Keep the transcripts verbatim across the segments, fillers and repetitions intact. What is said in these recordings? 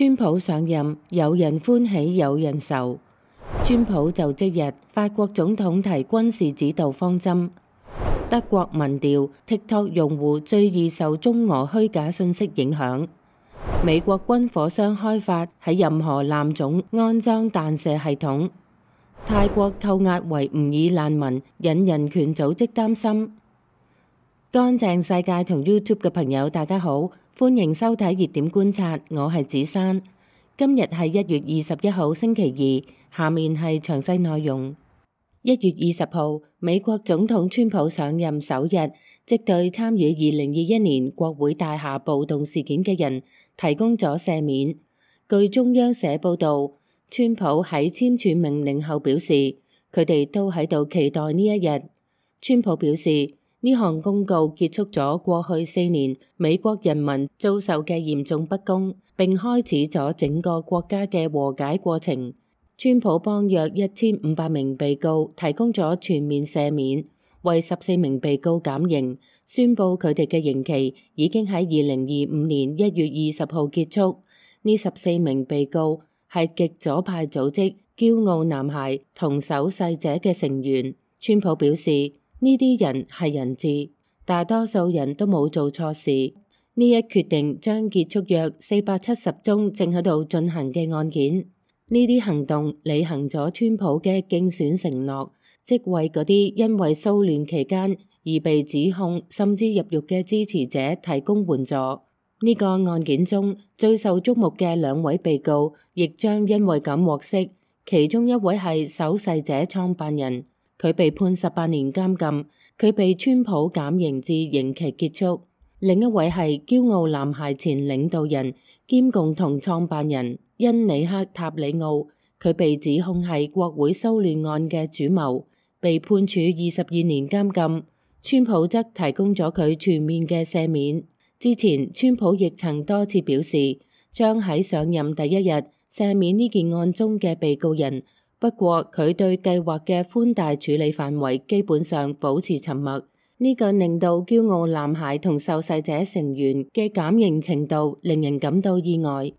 川普上任，有人歡喜有人愁。川普就職日，法國總統提軍事指導方針。德國民調 TikTok 用戶最易受中俄虛假信息影響。美國軍火商開發喺任何艦種安裝彈射系統。泰國扣押維吾爾難民，引人權組織擔心。乾淨世界同 YouTube 嘅朋友，大家好，歡迎收睇熱點觀察，我係子珊。今日係一月二十一號星期二，下面係詳細內容。一月二十號，美國總統川普上任首日，即對參與二零二一年國會大廈暴動事件嘅人提供咗赦免。據中央社報導，川普喺簽署命令後表示，佢哋都喺度期待呢一日。川普表示，呢項公告結束咗過去四年美國人民遭受嘅嚴重不公，並開始咗整個國家嘅和解過程。川普幫約一千五百名被告提供咗全面赦免，為十四名被告減刑，宣布佢哋嘅刑期已經喺二零二五年一月二十號結束。呢十四名被告係極左派組織驕傲男孩同守勢者嘅成員。川普表示，呢啲人係人質，大多數人都冇做錯事。呢一決定將結束約四百七十宗正喺度進行嘅案件。呢啲行動履行咗川普嘅競選承諾，即為嗰啲因為騷亂期間而被指控甚至入獄嘅支持者提供援助。呢個案件中最受矚目嘅兩位被告，亦將因為咁獲釋。其中一位係守勢者創辦人。佢被判十八年監禁，佢被川普減刑至刑期結束。另一位係驕傲男孩前領導人兼共同創辦人恩里克塔里奧，佢被指控係國會騷亂案嘅主謀，被判處二十二年監禁。川普則提供咗佢全面嘅赦免。之前川普亦曾多次表示，將喺上任第一日赦免呢件案中嘅被告人。不過佢對計劃嘅寬大處理範圍基本上保持沉默，呢個令到驕傲男孩同受勢者成員嘅減刑程度令人感到意外。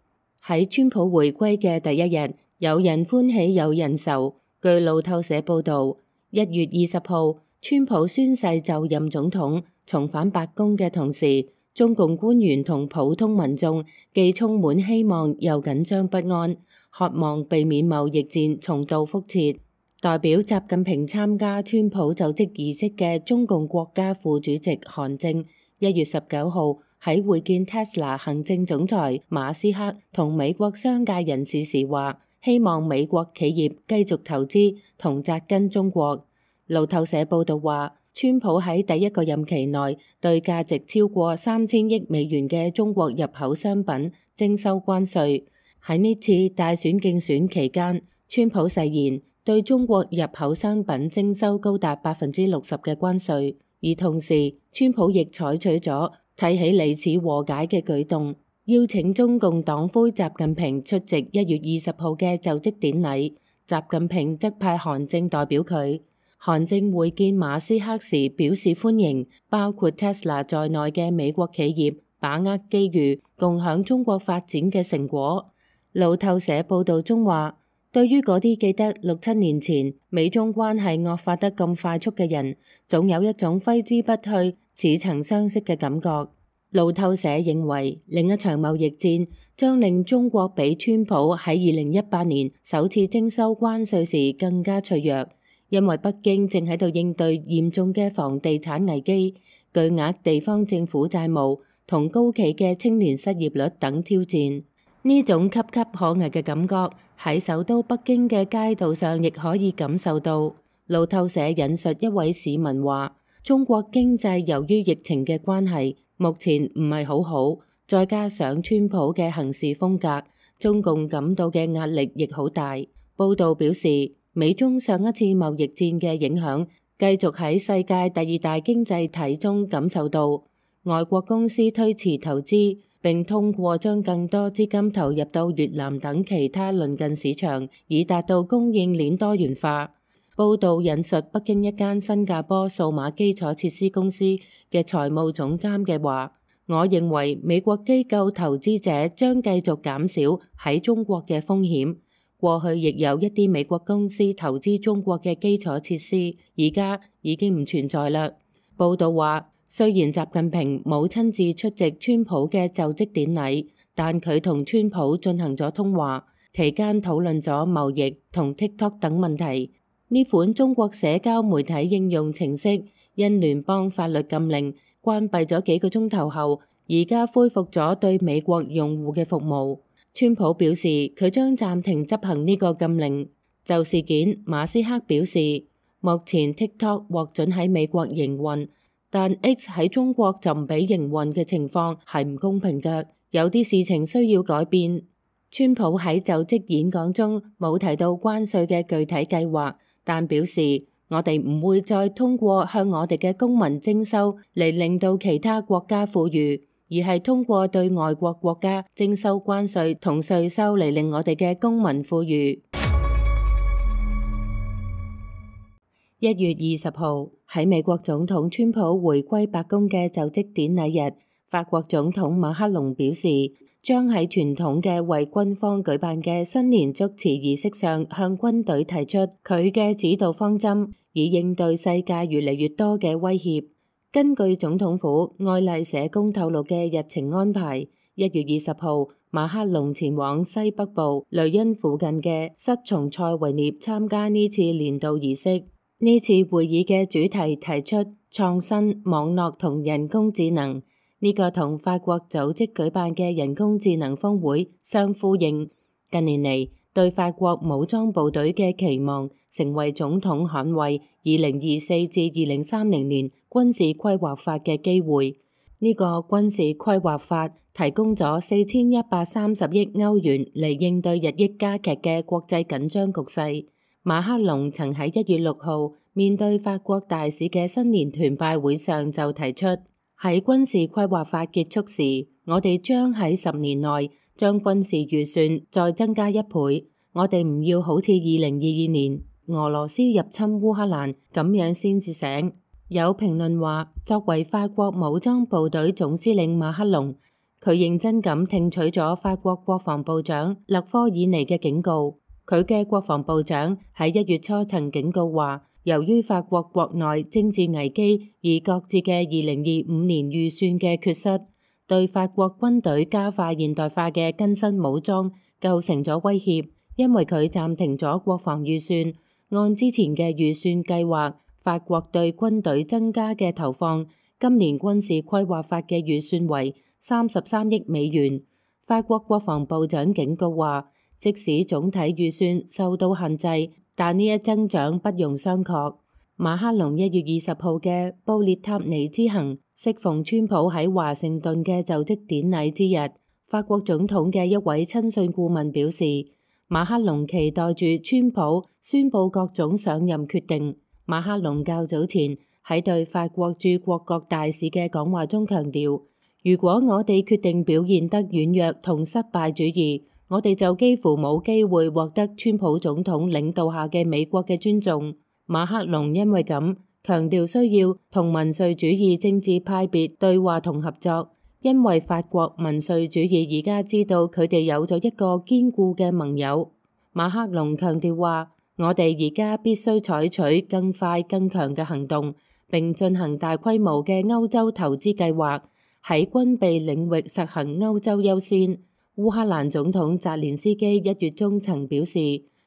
喺川普回歸嘅第一日，有人歡喜有人愁。據路透社報導，一月二十號，川普宣誓就任總統，重返白宮嘅同時，中共官員同普通民眾既充滿希望又緊張不安，渴望避免貿易戰重蹈覆轍。代表習近平參加川普就職儀式嘅中共國家副主席韓正，一月十九號喺會見 Tesla 行政總裁馬斯克同美國商界人士時話，希望美國企業繼續投資同紮根中國。路透社報導話，川普喺第一個任期內對價值超過三千億美元嘅中國入口商品徵收關稅。喺呢次大選競選期間，川普誓言對中國入口商品徵收高達百分之六十嘅關稅，而同時川普亦採取咗睇起嚟似和解嘅舉動，邀請中共黨魁習近平出席一月二十號嘅就職典禮。習近平則派韓正代表佢。韓正會見馬斯克時表示歡迎，包括 Tesla 在內嘅美國企業把握機遇，共享中國發展嘅成果。路透社報導中話，對於嗰啲記得六七年前美中關係惡化得咁快速嘅人，總有一種揮之不去、似曾相識嘅感覺。路透社認為，另一場貿易戰將令中國比川普喺二零一八年首次徵收關稅時更加脆弱，因為北京正喺度應對嚴重嘅房地產危機、巨額地方政府債務同高企嘅青年失業率等挑戰。呢種岌岌可危嘅感覺喺首都北京嘅街道上亦可以感受到。路透社引述一位市民話，中國經濟由於疫情嘅關係，目前唔係好好，再加上川普嘅行事風格，中共感到嘅壓力亦好大。報道表示，美中上一次貿易戰嘅影響繼續喺世界第二大經濟體中感受到，外國公司推遲投資，並通過將更多資金投入到越南等其他鄰近市場，以達到供應鏈多元化。報導引述北京一間新加坡數碼基礎設施公司嘅財務總監嘅話，我認為美國機構投資者將繼續減少喺中國嘅風險。過去亦有一啲美國公司投資中國嘅基礎設施，而家已經唔存在啦。報道話，雖然習近平冇親自出席川普嘅就職典禮，但佢同川普進行咗通話，期間討論咗貿易同 TikTok 等問題。呢款中國社交媒體應用程式因聯邦法律禁令關閉咗幾個鐘頭後，而家恢復咗對美國用戶嘅服務。川普表示佢將暫停執行呢個禁令。就事件，馬斯克表示，目前 TikTok 獲准喺美國營運，但 X 喺中國就唔俾營運嘅情況係唔公平嘅，有啲事情需要改變。川普喺就職演講中冇提到關稅嘅具體計劃，但表示我哋唔會再通過向我哋嘅公民徵收嚟令到其他國家富裕，而係通過對外國國家徵收關稅同稅收嚟令我哋嘅公民富裕。一月二十號，喺美國總統川普回歸白宮嘅就職典禮日，法國總統馬克龍表示，將喺傳統嘅為軍方舉辦嘅新年祝詞儀式上向軍隊提出佢嘅指導方針，以應對世界越嚟越多嘅威脅。根據總統府愛麗舍宮透露嘅日程安排，一月二十號，馬克龍前往西北部雷恩附近嘅塞松塞維涅參加呢次年度儀式。呢次會議嘅主題提出創新、網絡同人工智能，呢個同法國組織舉辦嘅人工智能峰會相呼應。近年嚟，對法國武裝部隊嘅期望成為總統捍衛二零二四至二零三零年軍事規劃法嘅機會。呢個軍事規劃法提供咗四千一百三十億歐元嚟應對日益加劇嘅國際緊張局勢。馬克龍曾喺一月六號面對法國大使嘅新年團拜會上就提出，喺軍事規劃法結束時，我哋將喺十年內將軍事預算再增加一倍。我哋唔要好似二零二二年俄羅斯入侵烏克蘭咁樣先至醒。有評論話，作為法國武裝部隊總司令馬克龍，佢認真咁聽取咗法國國防部長勒科爾尼嘅警告。佢嘅國防部長喺一月初曾警告話，由於法國國內政治危機而擱置嘅二零二五年預算嘅缺失，對法國軍隊加快現代化嘅更新武裝構成咗威脅。因為佢暫停咗國防預算，按之前嘅預算計劃，法國對軍隊增加嘅投放，今年軍事規劃法嘅預算為三十三億美元。法國國防部長警告話，即使總體預算受到限制，但呢一增長不容商榷。馬克龍一月二十號嘅布列塔尼之行，適逢川普喺華盛頓嘅就職典禮之日。法國總統嘅一位親信顧問表示，馬克龍期待住川普宣布各種上任決定。馬克龍較早前喺對法國駐國國大使嘅講話中強調，如果我哋決定表現得軟弱同失敗主義，我哋就幾乎冇機會獲得川普總統領導下嘅美國嘅尊重。馬克龍因為咁強調需要同民粹主義政治派別對話同合作，因為法國民粹主義而家知道佢哋有咗一個堅固嘅盟友。馬克龍強調話，我哋而家必須採取更快更強嘅行動，並進行大規模嘅歐洲投資計劃，喺軍備領域實行歐洲優先。烏克蘭總統澤連斯基一月中曾表示，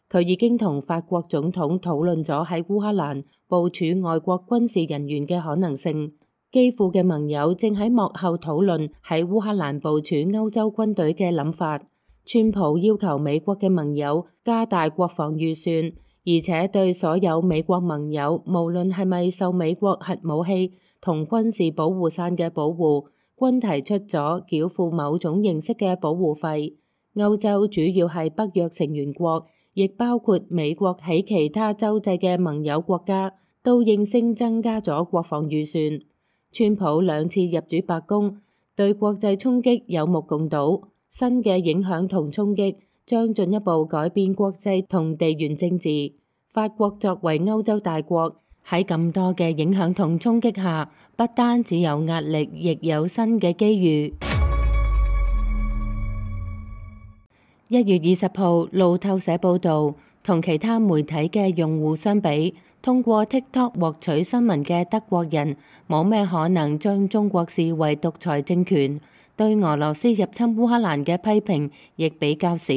佢已經同法國總統討論咗喺烏克蘭部署外國軍事人員嘅可能性。基輔嘅盟友正喺幕後討論喺烏克蘭部署歐洲軍隊嘅諗法。川普要求美國嘅盟友加大國防預算，而且對所有美國盟友，無論係咪受美國核武器同軍事保護傘嘅保護，均提出咗繳付某種形式嘅保護費。歐洲主要係北約成員國，亦包括美國喺其他洲際嘅盟友國家，都應聲增加咗國防預算。川普兩次入主白宮，對國際衝擊有目共睹。新嘅影響同衝擊將進一步改變國際同地緣政治。法國作為歐洲大國，喺咁多嘅影響同衝擊下，不單只有壓力，亦有新嘅機遇。一月二十號，路透社報導，同其他媒體嘅用戶相比，通過 TikTok 獲取新聞嘅德國人冇咩可能將中國視為獨裁政權，對俄羅斯入侵烏克蘭嘅批評亦比較少。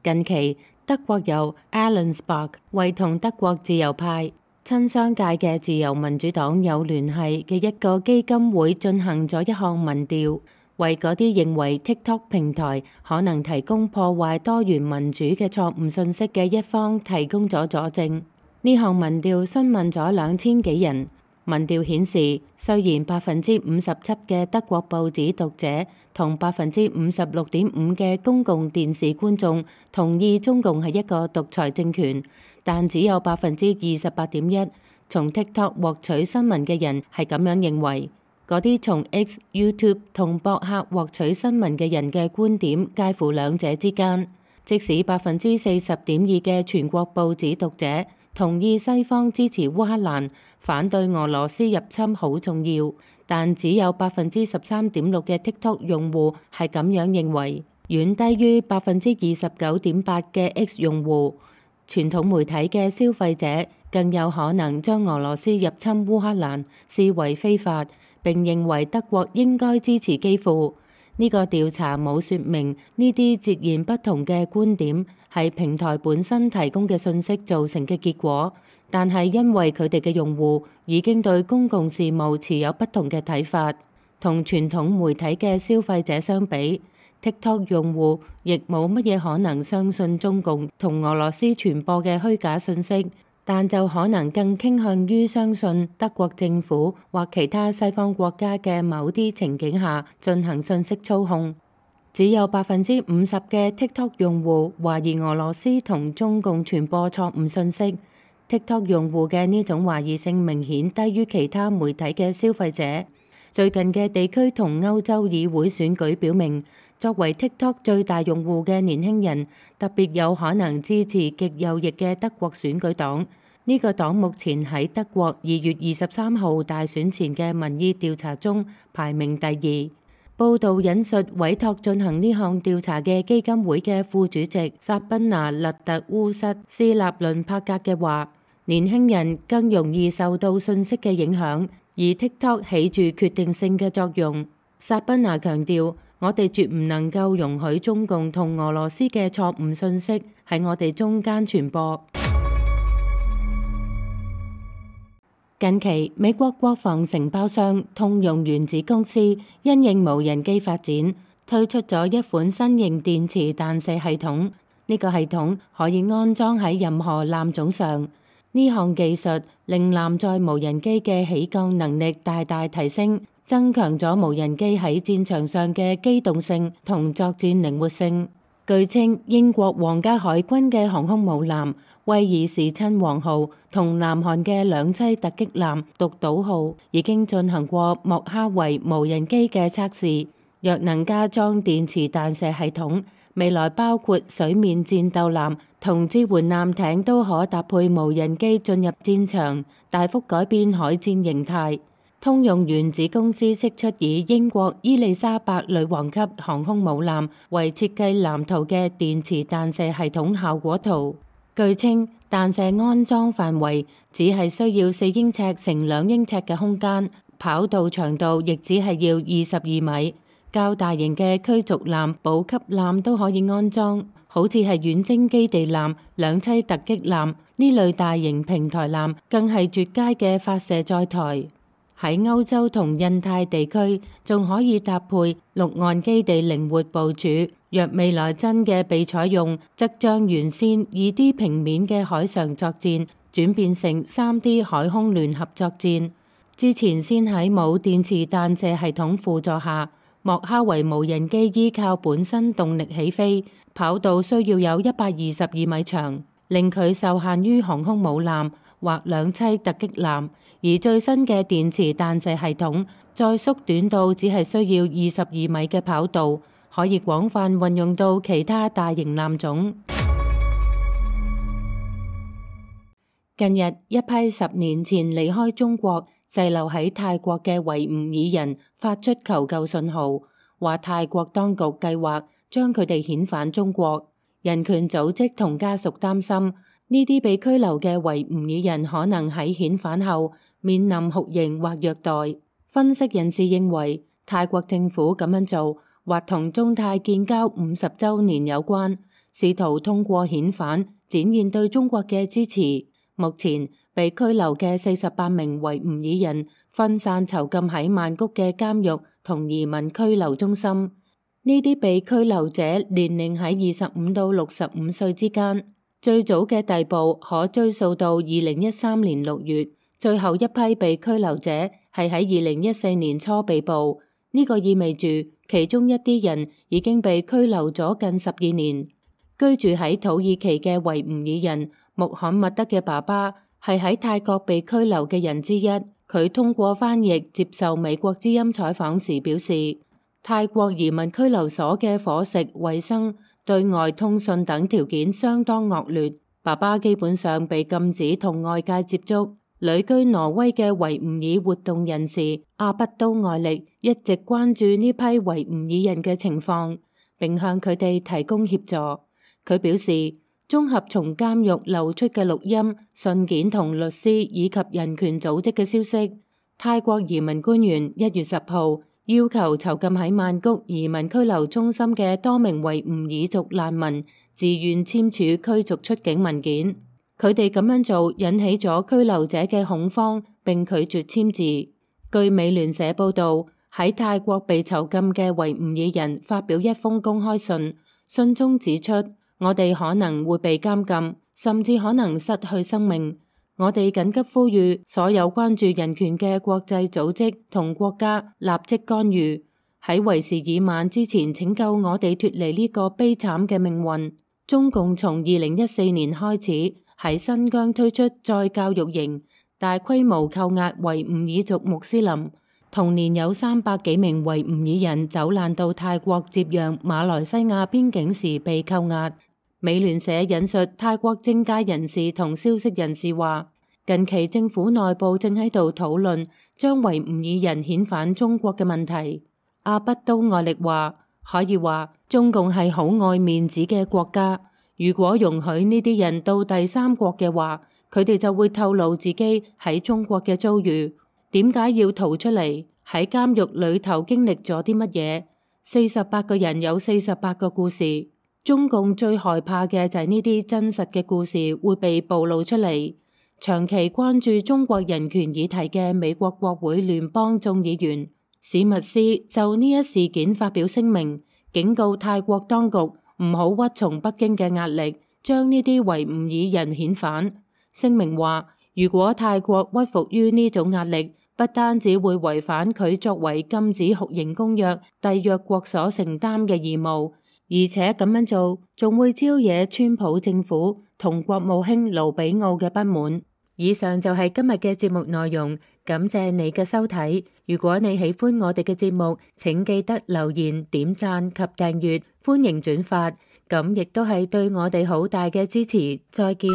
近期，德國有 Allensbach 為同德國自由派、親商界嘅自由民主黨有聯繫嘅一個基金會進行咗一項民調，為嗰啲認為 TikTok 平台可能提供破壞多元民主嘅錯誤信息嘅一方提供咗佐證。呢項民調詢問咗兩千幾人，民調顯示，雖然百分之五十七嘅德國報紙讀者同百分之五十六點五嘅公共電視觀眾同意中共係一個獨裁政權，但只有百分之二十八點一從 TikTok 獲取新聞嘅人係咁樣認為。嗰啲從 X、YouTube 同博客獲取新聞嘅人嘅觀點介乎兩者之間。即使百分之四十點二嘅全國報紙讀者同意西方支持烏克蘭，反對俄羅斯入侵好重要，但只有百分之十三點六嘅 TikTok 用戶係咁樣認為，遠低於百分之二十九點八嘅 X 用戶。傳統媒體嘅消費者更有可能將俄羅斯入侵烏克蘭視為非法，並認為德國應該支持基輔。呢個調查冇說明呢啲截然不同嘅觀點係平台本身提供嘅信息造成嘅結果，但係因為佢哋嘅用戶已經對公共事務持有不同嘅睇法，同傳統媒體嘅消費者相比， TikTok 用戶亦冇乜嘢可能相信中共同俄羅斯傳播嘅虛假信息，但就可能更傾向於相信德國政府或其他西方國家嘅某啲情景下進行信息操控。只有百分之五十嘅 TikTok 用戶懷疑俄羅斯同中共傳播錯誤信息。TikTok 用戶嘅呢種懷疑性明顯低於其他媒體嘅消費者。最近嘅地區同歐洲議會選舉表明，作為 TikTok 最大用戶嘅年輕人特別有可能支持極右翼嘅德國選舉黨。呢個黨目前喺德國二月二十三號大選前嘅民意調查中排名第二。報道引述委託進行呢項調查嘅基金會嘅副主席薩賓娜勒特烏瑟斯納倫帕格嘅話，年輕人更容易受到信息嘅影響，而 TikTok 起住決定性嘅作用。薩賓娜強調，我哋絕唔能夠容許中共同俄羅斯嘅錯誤信息喺我哋中間傳播。近期，美國國防承包商通用原子公司因應無人機發展，推出咗一款新型電磁彈射系統。呢個系統可以安裝喺任何艦種上。呢項技術令艦載無人機嘅起降能力大大提升，增強咗無人機喺戰場上嘅機動性同作戰靈活性。據稱，英國皇家海軍嘅航空母艦威爾士親王號同南韓嘅兩棲突擊艦獨島號已經進行過莫哈維無人機嘅測試。若能加裝電磁彈射系統，未來包括水面戰鬥艦同支援艦艇都可搭配無人機進入戰場，大幅改變海戰形態。通用原子公司釋出以英國伊麗莎白女王級航空母艦為設計藍圖嘅電磁彈射系統效果圖。據稱，彈射安裝範圍只係需要四英尺乘兩英尺嘅空間，跑道長度亦只係要二十二米。較大型嘅驅逐艦、補給艦都可以安裝，好似係遠征基地艦、兩棲突擊艦呢類大型平台艦，更係絕佳嘅發射載台。喺歐洲同印太地區，仲可以搭配陸岸基地靈活部署。若未來真嘅被採用，則將原先二 D 平面嘅海上作戰轉變成三 D 海空聯合作戰。之前先喺冇電磁彈射系統輔助下，莫哈維無人機依靠本身動力起飛，跑道需要有一百二十二米長，令佢受限於航空母艦或兩棲突擊艦。而最新嘅電磁彈射系統再縮短到只係需要二十二米嘅跑道，可以廣泛運用到其他大型艦種。近日，一批十年前離開中國滯留喺泰國嘅維吾爾人發出求救信號，話泰國當局計劃將佢哋遣返中國。人權組織同家屬擔心，呢啲被拘留嘅維吾爾人可能喺遣返後面臨酷刑或虐待。分析人士認為，泰國政府咁樣做或同中泰建交五十週年有關，試圖通過遣返展現對中國嘅支持。目前被拘留嘅四十八名維吾爾人分散囚禁喺曼谷嘅監獄同移民拘留中心。呢啲被拘留者年齡喺二十五到六十五歲之間。最早嘅逮捕可追溯到二零一三年六月，最後一批被拘留者係喺二零一四年初被捕。呢個意味住其中一啲人已經被拘留咗近十二年。居住喺土耳其嘅維吾爾人穆罕默德嘅爸爸係喺泰國被拘留嘅人之一。佢通過翻譯接受美國之音採訪時表示，泰國移民拘留所嘅伙食、衛生、對外通訊等條件相當惡劣。爸爸基本上被禁止同外界接觸。旅居挪威嘅維吾爾活動人士阿不都愛力一直關注呢批維吾爾人嘅情況，並向佢哋提供協助。佢表示，綜合從監獄流出嘅錄音、信件同律師以及人權組織嘅消息，泰國移民官員一月十號要求囚禁喺曼谷移民拘留中心嘅多名維吾爾族難民自願簽署驅逐出境文件。佢哋咁樣做引起咗拘留者嘅恐慌，並拒絕簽字。據美聯社報導，喺泰國被囚禁嘅維吾爾人發表一封公開信，信中指出，我哋可能會被監禁，甚至可能失去生命。我哋緊急呼籲所有關注人權嘅國際組織同國家立即干預，喺為時已晚之前拯救我哋脫離呢個悲慘嘅命運。中共從二零一四年開始喺新疆推出再教育營，大規模扣押維吾爾族穆斯林。同年有三百幾名維吾爾人走難到泰國接壤馬來西亞邊境時被扣押。美聯社引述泰國政界人士同消息人士話，近期政府內部正喺度討論將維吾爾人遣返中國嘅問題。阿不都愛力話，可以話中共係好愛面子嘅國家，如果容許呢啲人到第三國嘅話，佢哋就會透露自己喺中國嘅遭遇，點解要逃出嚟，喺監獄裏頭經歷咗啲乜嘢。四十八個人有四十八個故事。中共最害怕嘅就係呢啲真實嘅故事會被暴露出嚟。長期關注中國人權議題嘅美國國會聯邦眾議員史密斯就呢一事件發表聲明，警告泰國當局唔好屈從北京嘅壓力，將呢啲維吾爾人遣返。聲明話，如果泰國屈服於呢種壓力，不單止會違反佢作為禁止酷刑公約締約國所承擔嘅義務，而且咁樣做仲會招惹川普政府同國務卿盧比奧嘅不滿。以上就係今日嘅節目內容，感謝你嘅收睇。如果你喜歡我哋嘅節目，請記得留言、點讚及訂閱，歡迎轉發，咁亦都係對我哋好大嘅支持。再見。